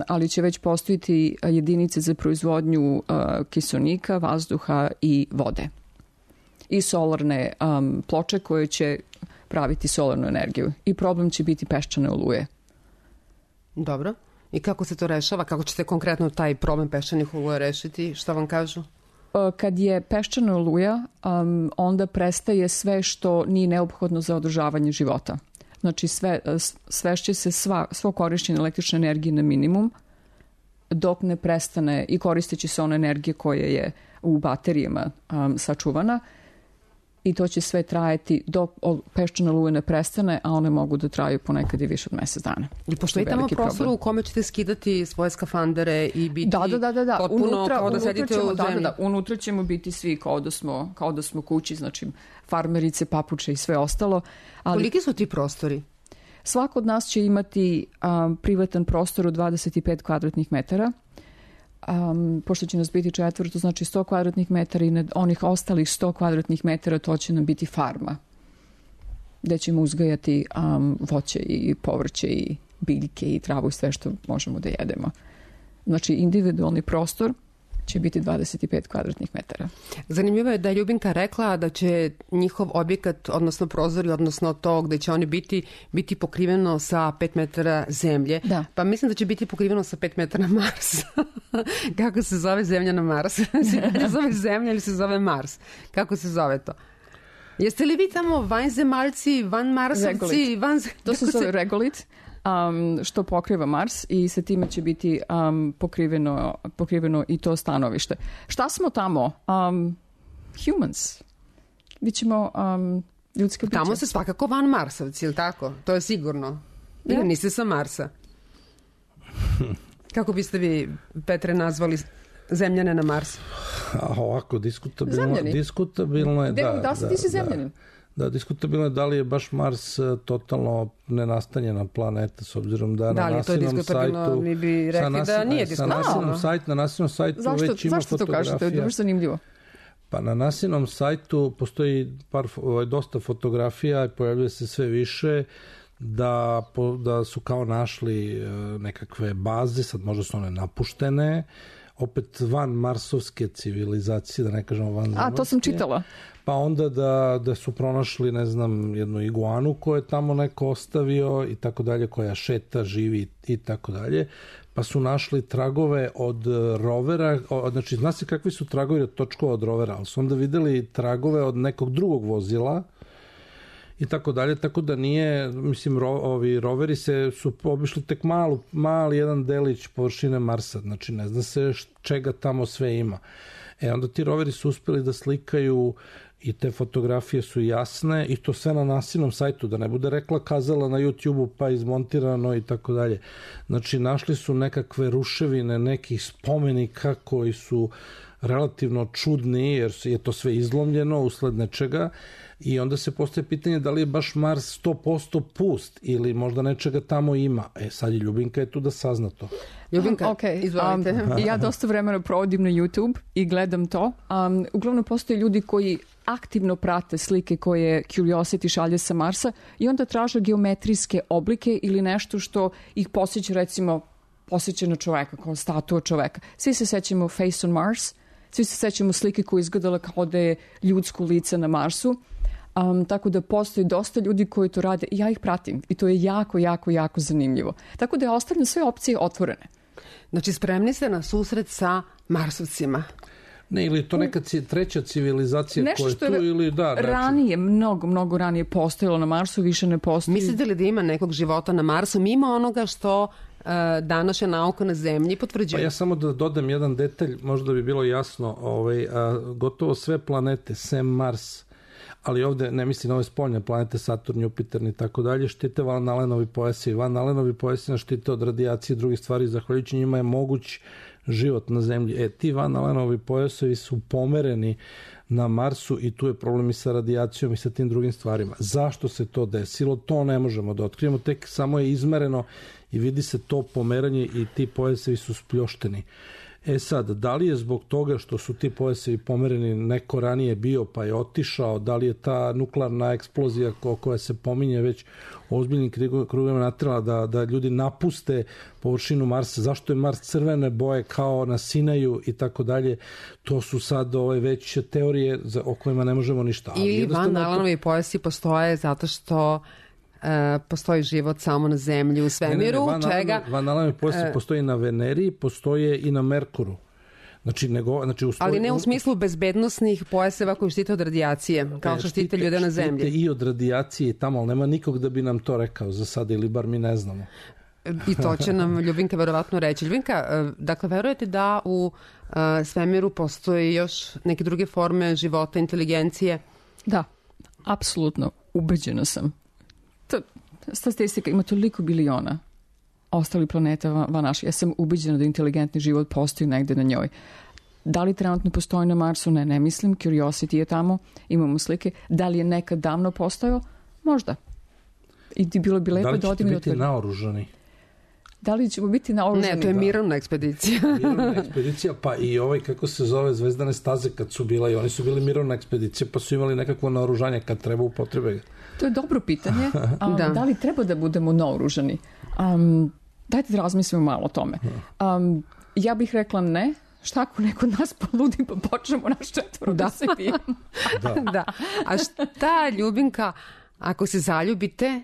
ali će već postojiti jedinice za proizvodnju kiselnika, vazduha i vode. I solarne ploče koje će praviti solarnu energiju. I problem će biti peščane oluje. Dobro. I kako se to rešava? Kako ćete konkretno taj problem peščanih oluja rešiti? Šta vam kažu? Kad je peščana oluja, onda prestaje sve što nije neophodno za održavanje života. Znači svešće se svo korišćenje električne energije na minimum dok ne prestane i koristeći se ona energija koja je u baterijama sačuvana i to će sve trajati dok peščana oluja ne prestane, a one mogu da traju ponekad i više od mesec dana. I pošto je tamo prostor u kome ćete skidati svoje skafandere i biti potpuno kao da sedite u zemlji. Unutra ćemo biti svi kao da smo kući, znači farmerice, papuče i sve ostalo. Koliki su ti prostori? Svako od nas će imati privatan prostor od 25 kvadratnih metara. Pošto će nas biti 4, to znači 100 kvadratnih metara i na onih ostalih 100 kvadratnih metara to će nam biti farma gde ćemo uzgajati voće i povrće i biljke i travu i sve što možemo da jedemo. Znači individualni prostor će biti 25 kvadratnih metara. Zanimljivo je da je Ljubinka rekla da će njihov objekat, odnosno prozori, odnosno to gde će oni biti pokriveno sa 5 metara zemlje. Da. Pa mislim da će biti pokriveno sa 5 metara Marsa. Kako se zove zemlja na Mars? Se zove zemlja ili se zove Mars? Kako se zove to? Jeste li vi tamo vanzemaljci, vanmarsovci? To se zove regolit. Što pokriva Mars i sa time će biti pokriveno i to stanovište. Šta smo tamo? Humans. Bićemo ljudske biće. Tamo se svakako van Marsovci, ili tako? To je sigurno. Ili niste sa Marsa? Kako biste vi, Petre, nazvali zemljane na Marsu? Ovako, diskutabilno je. Da si ti si zemljanin? Da, diskutabilno je da li je baš Mars totalno nenastanjena planeta, s obzirom da na nasilnom sajtu... Mi bi rekli da nije diskutabilno. Na nasilnom sajtu već ima fotografija. Zašto to kažete? To je baš zanimljivo. Pa na nasilnom sajtu postoji dosta fotografija i pojavljuje se sve više da su kao našli nekakve baze, sad možda su one napuštene, opet van marsovske civilizacije, da ne kažemo van zemljske. To sam čitala. Pa onda da su pronašli, ne znam, jednu iguanu koju je tamo neko ostavio i tako dalje, koja šeta, živi i tako dalje. Pa su našli tragove od rovera, znači zna se kakvi su tragovi od točkova od rovera, ali su onda videli tragove od nekog drugog vozila i tako dalje, tako da nije, mislim, ovi roveri su obišli tek mali jedan delić površine Marsa, znači ne zna se čega tamo sve ima. Onda ti roveri su uspeli da slikaju i te fotografije su jasne i to sve na nasilnom sajtu, da ne bude rekla kazala na YouTube-u pa izmontirano i tako dalje. Znači našli su nekakve ruševine nekih spomenika koji su relativno čudni jer je to sve izlomljeno usled nečega i onda se postaje pitanje da li je baš Mars 100% pust ili možda nečega tamo ima. Sad je Ljubinka je tu da sazna to. Ljubinka, izvolite. Ja dosta vremena provodim na YouTube i gledam to. Uglavnom postoje ljudi koji aktivno prate slike koje Curiosity šalje sa Marsa i onda traže geometrijske oblike ili nešto što ih posjeća, recimo, posjeća na čoveka, kao statua čoveka. Svi se sećamo Face on Mars, svi se sećamo slike koja je izgledala kao da je ljudsko lice na Marsu. tako da postoji dosta ljudi koji to rade i ja ih pratim i to je jako, jako, jako zanimljivo. Tako da ja ostavljam sve opcije otvorene. Znači, spremni ste na susret sa Marsovcima. Ne, ili to neka treća civilizacija nešto koja je što tu ili da. Ranije, mnogo ranije postojalo na Marsu, više ne postoji. Mislite li da ima nekog života na Marsu mimo onoga što današnja nauka na Zemlji potvrđuje? Pa ja samo da dodam jedan detalj, možda bi bilo jasno, gotovo sve planete, sem Mars, ali ovde ne mislim na ove spoljne planete, Saturn, Jupiter i tako dalje, štite Van Allenovi pojasi. Van Allenovi pojasi nas štite od radijacije i drugih stvari, zahvaljujući njima je moguć život na Zemlji. Ti Van Allenovi pojasovi su pomereni na Marsu i tu je problem i sa radijacijom i sa tim drugim stvarima. Zašto se to desilo? To ne možemo da otkrijemo, tek samo je izmereno i vidi se to pomeranje i ti pojasevi su spljošteni. Sad, da li je zbog toga što su ti pojasevi pomereni neko ranije bio pa je otišao, da li je ta nuklearna eksplozija koja se pominje već u ozbiljnim krugovima naterala da ljudi napuste površinu Marsa, zašto je Mars crvene boje kao na Sinaju i tako dalje, to su sad već teorije o kojima ne možemo ništa. Ili Van Allenovi pojasi postoje zato što postoji život samo na Zemlji u svemiru, Van Allenovi pojasi postoji na Veneri, postoje i na Merkuru. Ali ne u smislu bezbednosnih pojaseva koji štite od radijacije, kao što štite ljude na Zemlji. Štite i od radijacije i tamo, ali nema nikog da bi nam to rekao za sada, ili bar mi ne znamo. I to će nam Ljubinka verovatno reći. Ljubinka, dakle, verujete da u svemiru postoji još neke druge forme života, inteligencije? Da, apsolutno, ubeđena sam. Statistika ima toliko biliona ostali planeta van naši. Ja sam ubeđena da inteligentni život postoji negde na njoj. Da li trenutno postoji na Marsu? Ne mislim. Curiosity je tamo, imamo slike. Da li je nekad davno postojao? Možda. I bilo bi lepo da odim i Da li ćete biti naoružani? Da li ćemo biti naoružani? Ne, to je mirovna ekspedicija. Mirovna ekspedicija, pa i kako se zove, Zvezdane staze kad su bila, i oni su bili mirovna ekspedicija, pa su imali nekakvo naoružanje kad treba upotrebe ga. To je dobro pitanje. Da li treba da budemo naoružani? Dajte da razmislimo malo o tome. Ja bih rekla ne. Šta ako neko od nas poludi pa počnemo naš četvoro da se pijemo? Da. A šta, Ljubinka, ako se zaljubite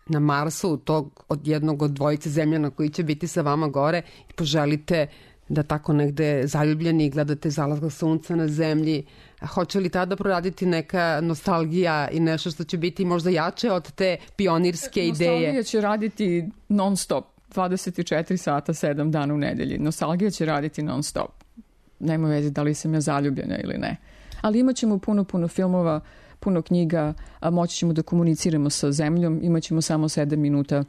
na Marsu od jednog od dvojice zemljana koji će biti sa vama gore i poželite da tako negde zaljubljeni gledate zalazak sunca na Zemlji, hoće li tada proraditi neka nostalgija i nešto što će biti možda jače od te pionirske ideje? Nostalgija će raditi non stop, 24 sata, 7 dana u nedelji. Nostalgija će raditi non stop. Nema veze da li sam ja zaljubljena ili ne. Ali imat ćemo puno filmova, puno knjiga, moći ćemo da komuniciramo sa Zemljom, imat ćemo samo 7 minuta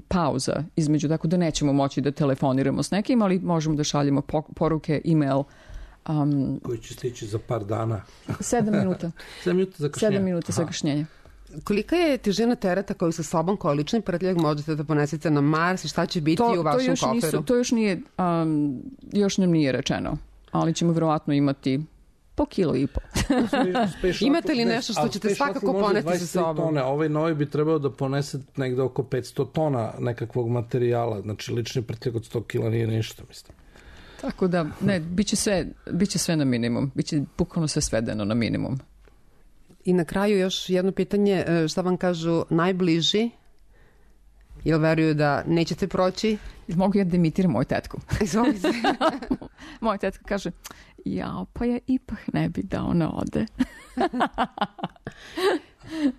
pauza između, tako da nećemo moći da telefoniramo s nekim, ali možemo da šaljemo poruke, e-mail. Koji će stići za par dana. 7 minuta. 7 minuta zakašnjenja. Kolika je težina tereta koju sa sobom kao lični prtljag možete da ponesete na Mars i šta će biti u vašem koferu? To još nam nije rečeno, ali ćemo verovatno imati po kilo i po. Imate li nešto što ćete svakako poneti sa sobom? Ovaj novi bi trebao da ponese negde oko 500 tona nekakvog materijala, znači lični prtljag od 100 kila nije ništa, mislim. Tako da, ne, biće sve na minimum, biće bukvalno sve svedeno na minimum. I na kraju još jedno pitanje, šta vam kažu najbliži? Jel veruju da nećete proći? Mogu ja da imitiram moju tetku. Izvolite. Moja tetka kaže, pa ja ipak ne bi da ona ode.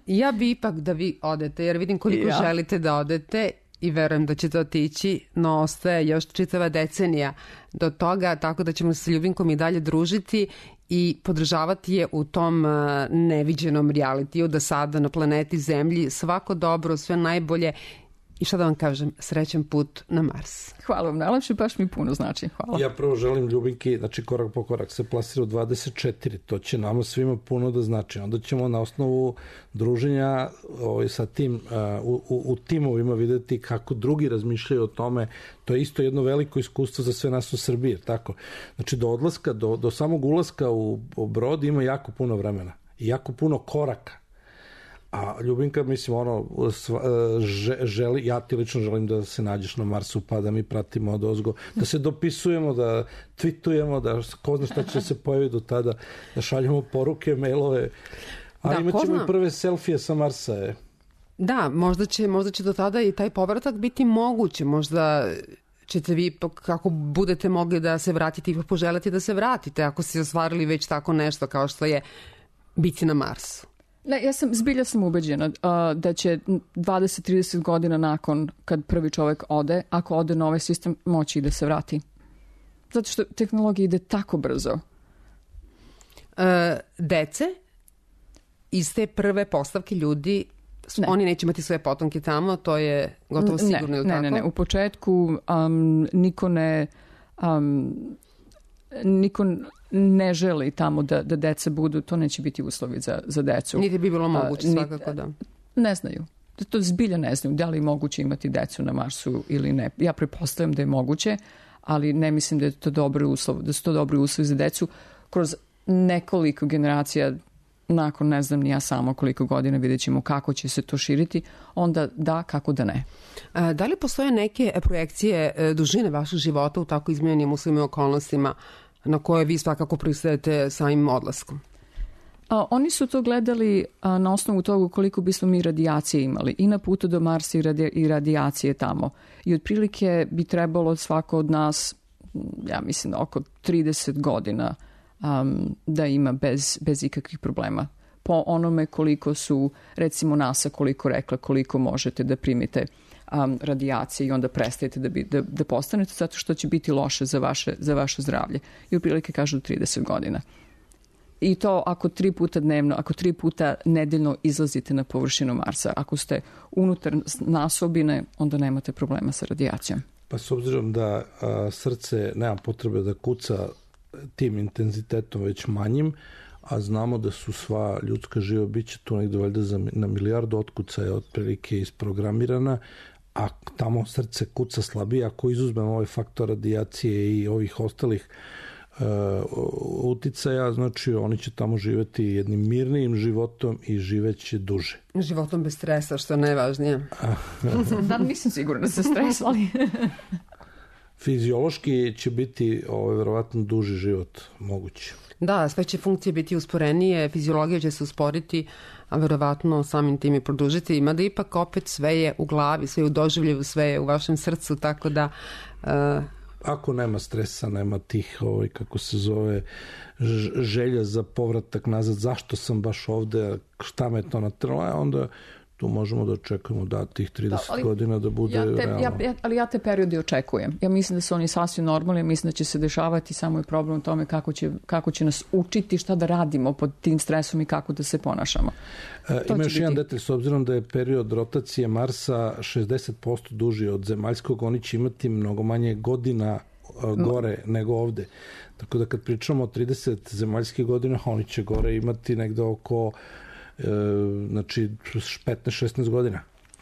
Ja bi ipak da vi odete, jer vidim koliko želite da odete i verujem da ćete otići, no ostaje još čitava decenija do toga, tako da ćemo se sa Ljubinkom i dalje družiti i podržavati je u tom neviđenom realitiju da sada na planeti Zemlji svako dobro, sve najbolje i šta da vam kažem, srećan put na Mars. Hvala vam, najlepše, baš mi puno znači. Hvala. Ja prvo želim Ljubinki, znači korak po korak se plasira u 24, to će nama svima puno da znači. Onda ćemo na osnovu druženja sa tim, u timovima videti kako drugi razmišljaju o tome. To je isto jedno veliko iskustvo za sve nas u Srbiji, tako. Znači do odlaska, do samog ulaska u brod ima jako puno vremena i jako puno koraka. A Ljubinka, mislim, želi, ja ti lično želim da se nađeš na Marsu, pa da mi pratimo od ozgo, da se dopisujemo, da tweetujemo, da ko zna šta će se pojaviti do tada, da šaljemo poruke, mailove. Ali imat ćemo i prve selfije sa Marsa. Da, možda će do tada i taj povratak biti moguće. Možda ćete vi, kako budete mogli da se vratite i poželite da se vratite, ako ste ostvarili već tako nešto kao što je biti na Marsu. Ne, zbilja sam ubeđena da će 20-30 godina nakon kad prvi čovek ode, ako ode na ovaj sistem, moći i da se vrati. Zato što tehnologija ide tako brzo. Dece iz te prve postavke ljudi, oni neće imati svoje potomke tamo, to je gotovo sigurno, ili tako? Ne. U početku niko ne želi tamo da deca budu, to neće biti uslovi za decu. Niti bi bilo moguće, svakako da. Ne znaju. To zbilja ne znaju da li je moguće imati decu na Marsu ili ne. Ja pretpostavljam da je moguće, ali ne mislim da je to dobri uslov, da su to dobri uslovi za decu. Kroz nekoliko generacija, nakon ne znam ni ja samo koliko godina, vidjet ćemo kako će se to širiti, onda da, kako da ne. Da li postoje neke projekcije dužine vašeg života u tako izmenjenim uslovima i okolnostima na koje vi svakako pristajete samim odlaskom? Oni su to gledali na osnovu toga koliko bismo mi radijacije imali i na putu do Marsa i radijacije tamo. I otprilike bi trebalo svako od nas, ja mislim, oko 30 godina da ima bez ikakvih problema. Po onome koliko su, recimo NASA koliko rekla, koliko možete da primite radijacije i onda prestajete da postanete, zato što će biti loše za vaše zdravlje. I otprilike kažu 30 godina. I to ako 3 puta dnevno, ako 3 puta nedeljno izlazite na površinu Marsa. Ako ste unutar nasobine, onda nemate problema sa radijacijom. Pa s obzirom da srce nema potrebe da kuca tim intenzitetom već manjim, a znamo da su sva ljudska živa bića tu negde valjda na milijardu otkucaja otprilike isprogramirana, a tamo srce kuca slabije. Ako izuzmemo ovaj faktor radijacije i ovih ostalih uticaja, znači oni će tamo živeti jednim mirnijim životom i živeće duže. Životom bez stresa, što je najvažnije. Da, nisam sigurna da se stresali. Fiziološki će biti verovatno duži život moguće. Da, sve će funkcije biti usporenije, fiziologija će se usporiti, a verovatno samim tim i produžiti. Mada ipak opet sve je u glavi, sve je u doživljevu, sve je u vašem srcu, tako da... Ako nema stresa, nema tih, kako se zove, želja za povratak nazad, zašto sam baš ovde, šta me to natrlo, onda tu možemo da očekujemo tih 30 godina da bude realno. Ali ja te periode očekujem. Ja mislim da su oni sasvim normalni, mislim da će se dešavati, samo je problem u tome kako će nas učiti šta da radimo pod tim stresom i kako da se ponašamo. Ima još jedan detalj, s obzirom da je period rotacije Marsa 60% duži od zemaljskog, oni će imati mnogo manje godina gore nego ovde. Tako da kad pričamo o 30 zemaljskih godina, oni će gore imati negde oko znači 15-16 godina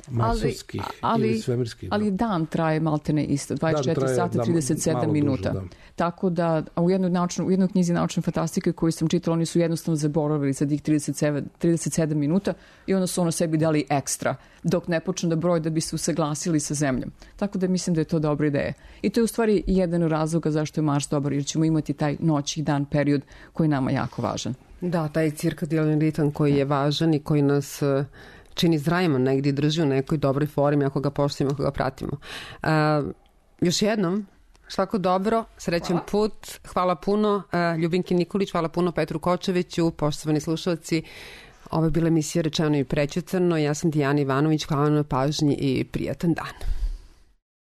marsovskih ili svemirskih. Ali dan traje maltene isto, 24 sata 37 minuta. Duže, da. Tako da u jednoj knjizi naučne fantastike koju sam čitala, oni su jednostavno zaboravili za tih 37 minuta i onda su sebi dali ekstra dok ne počnu da broje da bi se usaglasili sa zemljom. Tako da mislim da je to dobra ideja. I to je u stvari jedan razloga zašto je Mars dobar, jer ćemo imati taj noć i dan period koji je nama jako važan. Da, taj cirkadijalni ritam koji je važan i koji nas čini zdravima, negdje drži u nekoj dobroj formi ako ga poštujemo, ako ga pratimo. Još jednom, svako dobro, srećan put, hvala puno Ljubinki Nikolić, hvala puno Petru Kočeviću, poštovani slušalci. Ovo je bila emisija Rečeno i prećutano. Ja sam Dijana Ivanović, hvala na pažnji i prijatan dan.